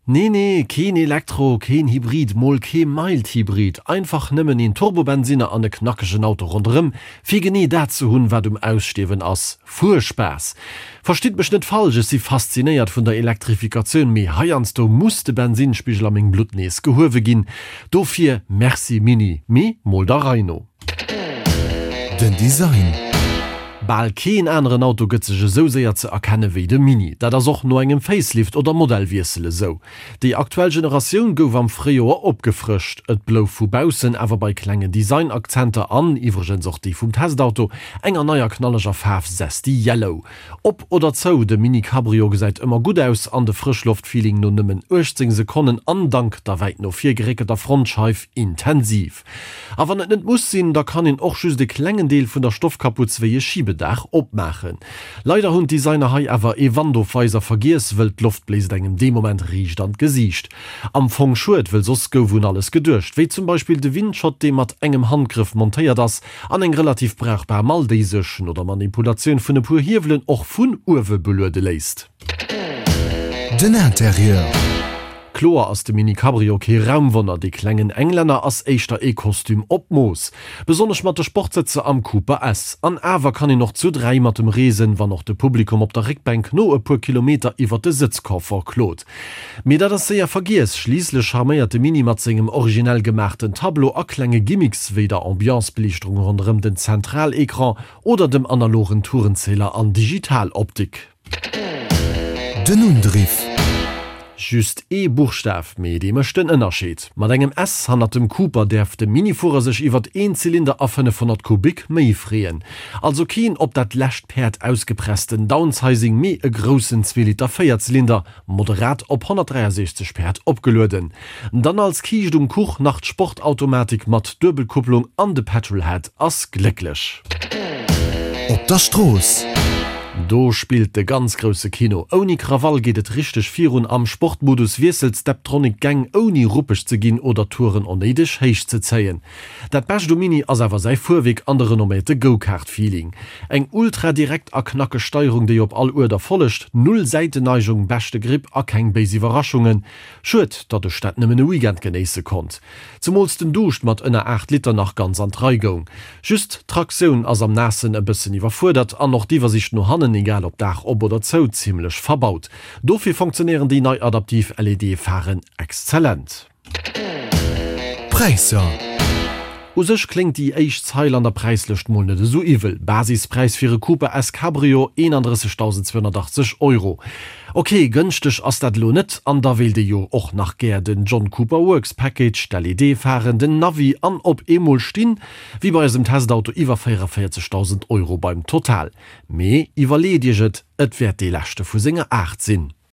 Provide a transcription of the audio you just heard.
Nee nee, keen Elektro, keen Hybrid, mol kee Mild Hybrid, einfach nëmmen een Turbobensinner an e knackegen Auto ronderëm, fir genee dat ze hunn, wat um Ausstierwen ass, Fuerspaass. Verstitt mech net falsch, ech si faszinéiert vun der Elektrifikatioun, mee heiansdo muss de Bensinnspigel a mengem Blutt nees gehuewe ginn. Dofir Merci Mini, mee mol der Rei no. Den Design. Bal keen aneren Auto gëtt sech esou séier ze erkenne wéi de Mini. Dat ass och no engem Facelift oder Modellwiessel esou. Déi aktuell Generatioun gouf am Fréijoer opgefrëscht. Et blouf vu baussen awer bei klengen Design-Akzenter an, iwwregens och déi vum Testauto, enger neier knalleger Faarf Zesty Yellow. Op oder zou, de Mini Cabrio gesäit ëmmer gutt aus an de Frëschloft-Feeling no nëmmen 18 Sekonnen an dank der wäit no vir geréckelter Frontscheif intensiv. A wann et net muss sinn, da kann een och just e klengen Deel vun der Stoffkaputz wéi e Schibedaach opmaachen. Leider hunn d'Designer hei awer ee Wandofweiser vergiess, wëll d'Loft bléist engem dee Moment riicht an d'Gesiicht. Am Fong schued, wëll soss gouf un alles geduecht, wéi zum Beispill de Windschott, dee mat engem Handgrëff montéiert ass, an eng relativ brauchbar Mall, déi sech, no der Manipulatioun vun e puer Hiewelen, och vun uewe beluede léisst. Den Interieur. Kloer ass de Mini Cabrio kee Raumwonner, dee klengen Englänner ass éischter ee Kostüm op Mooss. Besonnesch mat de Sportsëtzer am Cooper S. An awer kann een och zu 3 mat em reesen, wann och de Publikum op der Réckbänk no e puer Kilometer iwwer de Sëtzconfort klot. Mee dat ass séier vergiess, schliisslech charméiert de Mini mat sengem originell gemaachten Tableau a klenge Gimmicks wéi der Ambiance-Beliichterung ronderëm den Zentral-Ecran oder dem analogen Tourenzähler an Digital-Optik. Den Undriff. Just ee Buchstaf, mee dee mécht den Ënnerscheed. Mat engem S hannert dem Cooper däerf de Minifuerer sech iwwert een Zylinder a 500 Kubik méi freeën. Also keen op dat lescht Päerd ausgepressten Downsizing, mee e groussen Zweeliter Véierzylinder, moderat op 163 Päerd opgelueden. Dann als Kiischt um Kuch nach d'Sportautomatik mat Duebelkupplung an de Petrolhead ass glécklech. Op der Strooss. Do spillt de ganz grousse Kino. Ouni Krawall geet et richteg virun. Am Sportmodus wiesselt d'Steptronic d'Gäng ouni ruppeg ze ginn oder d'Touren onnéideg héich ze zéien. Dat Bescht um Mini ass awer säi Fuerwierk an de renomméierte Go-Kart-Feeling. Eng ultra direkt a knackeg Steierung déi op all Uerder follegt, null Säitenneigung, beschte Grip a keng béis Iwwerraschungen. Schued, datt ech dat nëmmen e Weekend genéisse konnt. Zemools den Duuscht mat ënner 8 Liter nach ganz an d'Rei goung. Just d'Traktioun ass am Naassen e bëssen iwwerfuerdert an och d'Iwwersicht no hannen, egal ob Daach op oder zou, zimlech verbaut. Dofir fonktionéieren déi nei adaptiv LED-Pharen exzellent. D'Präisser. U sech kléngt déi éischt Zeil an der Präislëscht mol net esou iwwel, Basispräis fir e Cooper S Cabrio, 31.280 Euro. Ok, gënschteg ass dat elo net, an da wéilt ee jo och nach gär den John Cooper Works Package, d'LED-Pharen, den Navi an op eemol stinn, wéi bei eisem Testauto, iwwer 44.000 Euro beim Total. Mee iwwerleet iech et, et wäert dee leschte vu senger Aart sinn.